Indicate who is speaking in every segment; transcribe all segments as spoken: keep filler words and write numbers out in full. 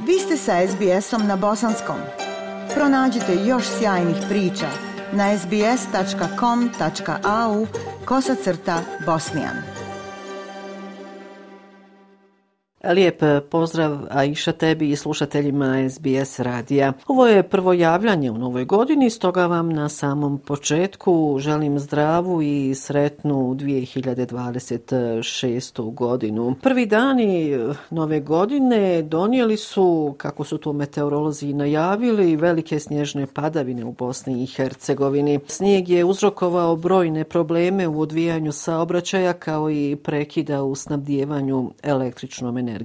Speaker 1: Vi ste sa es be esom na bosanskom. Pronađite još sjajnih priča na es be es tačka com tačka a u kosacrta bosnijan.
Speaker 2: Lijep pozdrav Aisha tebi i slušateljima es be es radija. Ovo je prvo javljanje u novoj godini, stoga vam na samom početku želim zdravu i sretnu dvije hiljade dvadeset šestu godinu. Prvi dani nove godine donijeli su, kako su to meteorolozi najavili, velike snježne padavine u Bosni i Hercegovini. Snijeg je uzrokovao brojne probleme u odvijanju saobraćaja kao i prekida u snabdijevanju električnom energijom.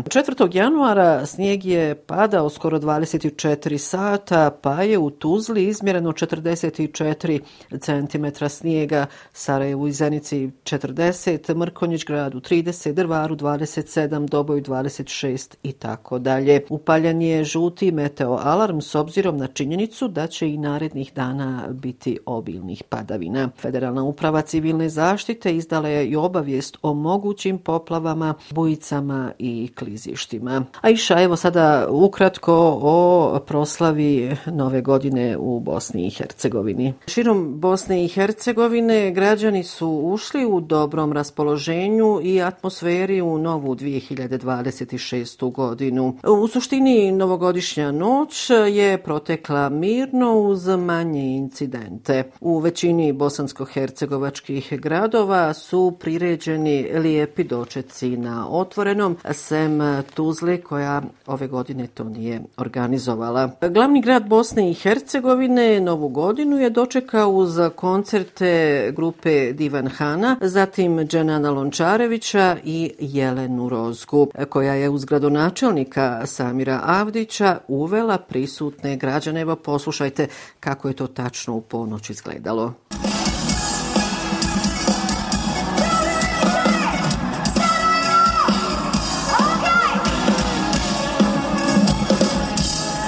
Speaker 2: četvrtog januara snijeg je padao skoro dvadeset četiri sata, pa je u Tuzli izmjereno četrdeset četiri centimetra snijega, Sarajevu i Zenici četrdeset, Mrkonjić gradu trideset, Drvaru dvadeset sedam, Doboju dvadeset šest i tako dalje. Upaljen je žuti meteo alarm s obzirom na činjenicu da će i narednih dana biti obilnih padavina. Federalna uprava civilne zaštite izdala je i obavijest o mogućim poplavama, bujicama i klizištima. Aisha, evo sada ukratko o proslavi nove godine u Bosni i Hercegovini. Širom Bosne i Hercegovine građani su ušli u dobrom raspoloženju i atmosferi u novu dvije hiljade dvadeset šestu godinu. U suštini novogodišnja noć je protekla mirno uz manje incidente. U većini bosansko-hercegovačkih gradova su priređeni lijepi dočeci na otvorenom, sem Tuzle koja ove godine to nije organizovala. Glavni grad Bosne i Hercegovine novu godinu je dočekao uz koncerte grupe Divan Hana, zatim Dženana Lončarevića i Jelenu Rozgu, koja je uz gradonačelnika Samira Avdića uvela prisutne građane. Evo poslušajte kako je to tačno u ponoć izgledalo.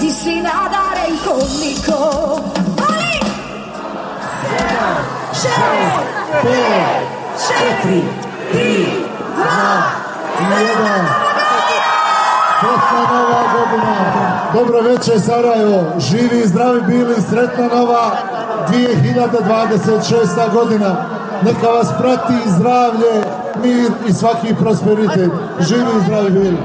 Speaker 3: Ti si nadaren ko niko. Ali! Sedam, šest, pet, četiri, tri, dva, jedan.
Speaker 4: Sretna nova godina. Dobro večer Sarajevo. Živi i zdravi bili. Sretna nova dvije hiljade dvadeset šesta godina. Neka vas prati zdravlje, mir i svaki prosperitet. Živi i zdravi bili.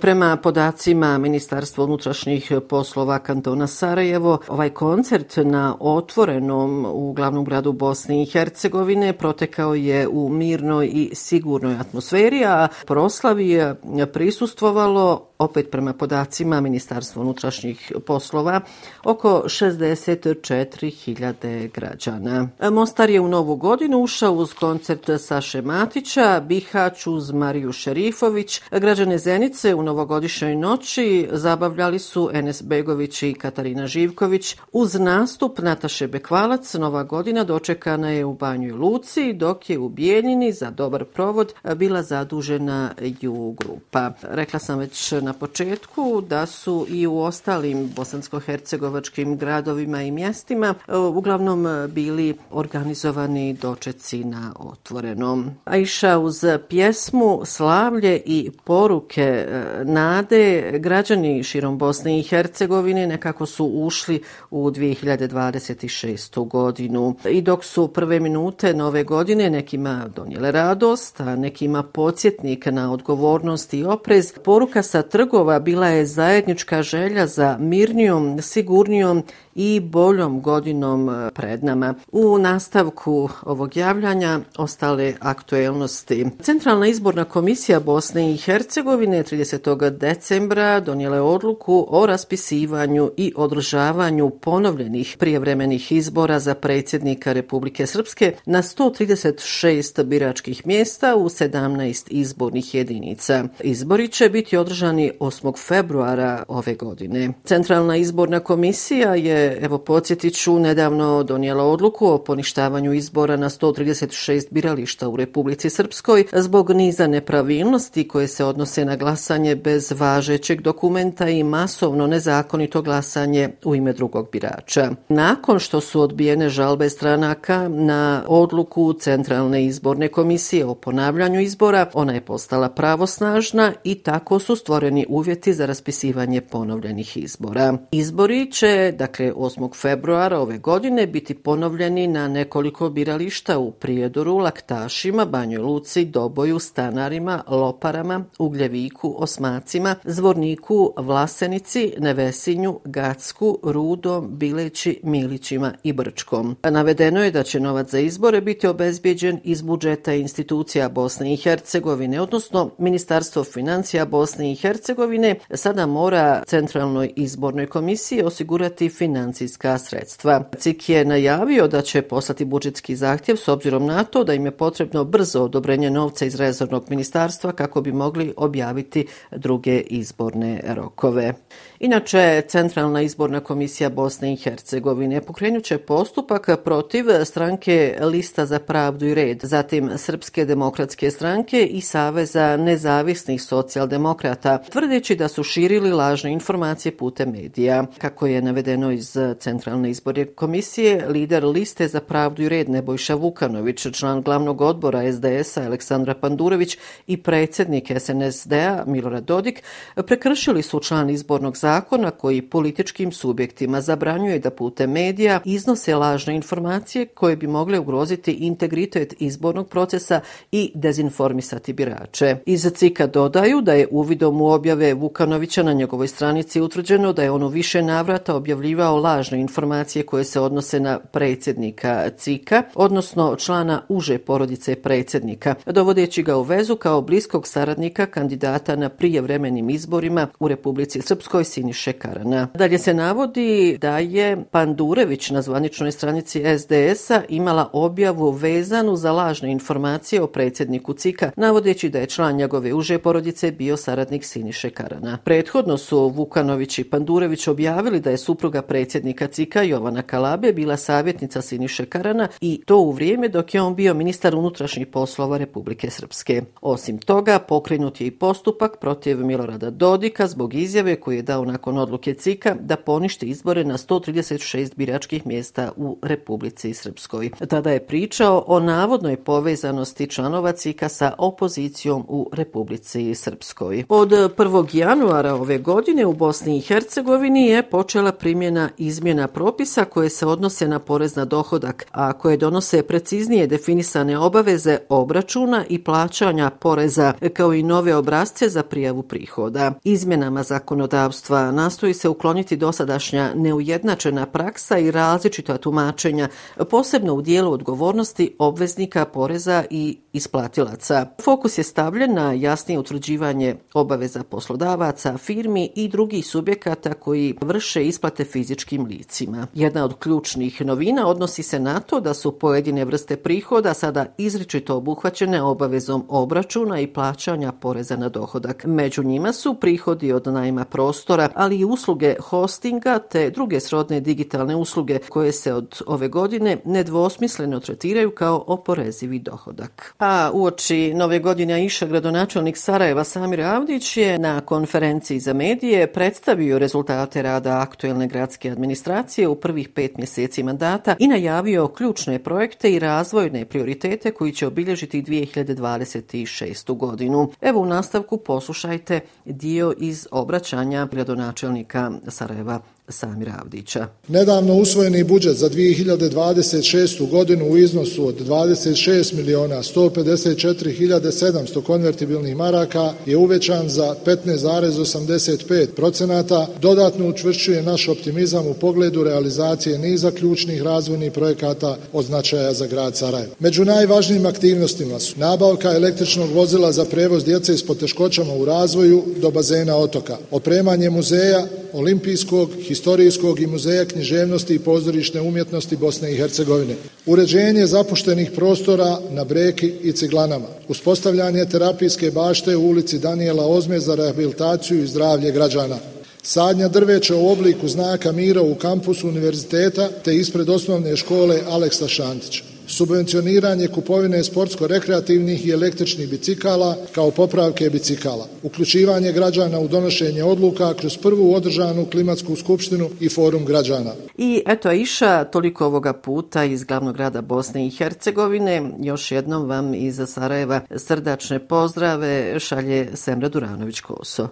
Speaker 2: Prema podacima Ministarstva unutrašnjih poslova kantona Sarajevo, ovaj koncert na otvorenom u glavnom gradu Bosne i Hercegovine protekao je u mirnoj i sigurnoj atmosferi, a proslavi je prisustvovalo, opet prema podacima Ministarstva unutrašnjih poslova, oko šezdeset četiri hiljade građana. Mostar je u novu godinu ušao uz koncert Saše Matića, Bihać uz Mariju Šerifović, građane Zenice u novogodišnjoj noći zabavljali su Enes Begović i Katarina Živković. Uz nastup Nataše Bekvalac nova godina dočekana je u Banjoj Luci, dok je u Bijeljini za dobar provod bila zadužena Ju grupa. Rekla sam već na početku da su i u ostalim bosansko-hercegovačkim gradovima i mjestima uglavnom bili organizovani dočeci na otvorenom. Aisha, uz pjesmu, slavlje i poruke nade, građani širom Bosne i Hercegovine nekako su ušli u dvije hiljade dvadeset šestu godinu. I dok su prve minute nove godine nekima donijele radost, a nekima podsjetnik na odgovornost i oprez, poruka sa trgova bila je zajednička želja za mirnijom, sigurnijom i boljom godinom pred nama. U nastavku ovog javljanja ostale aktuelnosti. Centralna izborna komisija Bosne i Hercegovine tridesetog decembra donijela je odluku o raspisivanju i održavanju ponovljenih prijevremenih izbora za predsjednika Republike Srpske na sto trideset šest biračkih mjesta u sedamnaest izbornih jedinica. Izbori će biti održani osmog februara ove godine. Centralna izborna komisija je, evo podsjetit ću, nedavno donijela odluku o poništavanju izbora na sto trideset šest birališta u Republici Srpskoj zbog niza nepravilnosti koje se odnose na glasanje bez važećeg dokumenta i masovno nezakonito glasanje u ime drugog birača. Nakon što su odbijene žalbe stranaka na odluku Centralne izborne komisije o ponavljanju izbora, ona je postala pravosnažna i tako su stvoreni stvoreni uvjeti za raspisivanje ponovljenih izbora. Izbori će, dakle, osmog februara ove godine biti ponovljeni na nekoliko birališta u Prijedoru, Laktašima, Banjoj Luci, Doboju, Stanarima, Loparama, Ugljeviku, Osmacima, Zvorniku, Vlasenici, Nevesinju, Gacku, Rudom, Bileći, Milićima i Brčkom. Navedeno je da će novac za izbore biti obezbijeđen iz budžeta institucija Bosne i Hercegovine, odnosno Ministarstvo financija Bosne i Hercegovine sada mora Centralnoj izbornoj komisiji osigurati financijska sredstva. C I K je najavio da će poslati budžetski zahtjev s obzirom na to da im je potrebno brzo odobrenje novca iz rezervnog ministarstva kako bi mogli objaviti druge izborne rokove. Inače, Centralna izborna komisija Bosne i Hercegovine pokrenut će postupak protiv stranke Lista za pravdu i red, zatim Srpske demokratske stranke i Saveza nezavisnih socijaldemokrata, tvrdeći da su širili lažne informacije putem medija. Kako je navedeno iz Centralne izborne komisije, lider Liste za pravdu i red Nebojša Vukanović, član glavnog odbora S D S-a Aleksandra Pandurević i predsjednik S N S D-a Milorad Dodik prekršili su član izbornog zakona koji političkim subjektima zabranjuje da putem medija iznose lažne informacije koje bi mogle ugroziti integritet izbornog procesa i dezinformisati birače. Iz C I K-a dodaju da je uvidom u objave Vukanovića na njegovoj stranici utvrđeno da je on u više navrata objavljivao lažne informacije koje se odnose na predsjednika C I K-a, odnosno člana uže porodice predsjednika, dovodeći ga u vezu kao bliskog saradnika kandidata na prijevremenim izborima u Republici Srpskoj Siniše Karana. Dalje se navodi da je Pandurević na zvaničnoj stranici S D S-a imala objavu vezanu za lažne informacije o predsjedniku C I K-a, navodeći da je član njegove uže porodice bio saradnik Siniše Karana. Prethodno su Vukanović i Pandurević objavili da je supruga predsjednika C I K-a Jovana Kalabe bila savjetnica Siniše Karana i to u vrijeme dok je on bio ministar unutrašnjih poslova Republike Srpske. Osim toga, pokrenut je i postupak protiv Milorada Dodika zbog izjave koju je dao nakon odluke C I K-a da poništi izbore na sto trideset šest biračkih mjesta u Republici Srpskoj. Tada je pričao o navodnoj povezanosti članova C I K-a sa opozicijom u Republici Srpskoj. Od prvog januara ove godine u Bosni i Hercegovini je počela primjena izmjena propisa koje se odnose na porez na dohodak, a koje donose preciznije definisane obaveze obračuna i plaćanja poreza, kao i nove obrasce za prijavu prihoda. Izmjenama zakonodavstva nastoji se ukloniti dosadašnja neujednačena praksa i različita tumačenja, posebno u dijelu odgovornosti obveznika poreza i isplatilaca. Fokus je stavljen na jasnije utvrđivanje obaveza poslodavaca, firmi i drugih subjekata koji vrše isplate fizičkim licima. Jedna od ključnih novina odnosi se na to da su pojedine vrste prihoda sada izričito obuhvaćene obavezom obračuna i plaćanja poreza na dohodak. Među njima su prihodi od najma prostora, ali i usluge hostinga te druge srodne digitalne usluge koje se od ove godine nedvosmisleno tretiraju kao oporezivi dohodak. A uoči nove godine Aisha, gradonačelnik Sarajeva Samir Avdić je na konferenciji za medije predstavio rezultate rada aktuelne gradske administracije u prvih pet mjeseci mandata i najavio ključne projekte i razvojne prioritete koji će obilježiti dvije hiljade dvadeset šestu godinu. Evo u nastavku poslušajte dio iz obraćanja gradonačelnika Sarajeva Samira Avdića.
Speaker 4: Nedavno usvojeni budžet za dvije hiljade dvadeset šestu godinu u iznosu od dvadeset šest miliona sto pedeset četiri hiljade sedamsto konvertibilnih maraka je uvećan za petnaest zarez osamdeset pet posto, dodatno učvršćuje naš optimizam u pogledu realizacije niza ključnih razvojnih projekata od značaja za grad Sarajevo. Među najvažnijim aktivnostima su nabavka električnog vozila za prevoz djece s poteškoćama u razvoju do bazena otoka, opremanje muzeja, olimpijskog, historijskog i muzeja književnosti i pozorišne umjetnosti Bosne i Hercegovine, uređenje zapuštenih prostora na Breki i Ciglanama, uspostavljanje terapijske bašte u ulici Danijela Ozme za rehabilitaciju i zdravlje građana, sadnja drveća u obliku znaka mira u kampusu univerziteta te ispred osnovne škole Aleksa Šantića, subvencioniranje kupovine sportsko-rekreativnih i električnih bicikala kao popravke bicikala, uključivanje građana u donošenje odluka kroz prvu održanu klimatsku skupštinu i forum građana.
Speaker 2: I eto Aisha, toliko ovoga puta iz glavnog grada Bosne i Hercegovine. Još jednom vam iz Sarajeva srdačne pozdrave šalje Semra Duranović Koso.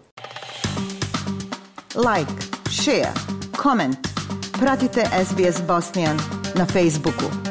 Speaker 1: like, share, comment. Pratite S B S Bosnian na Facebooku.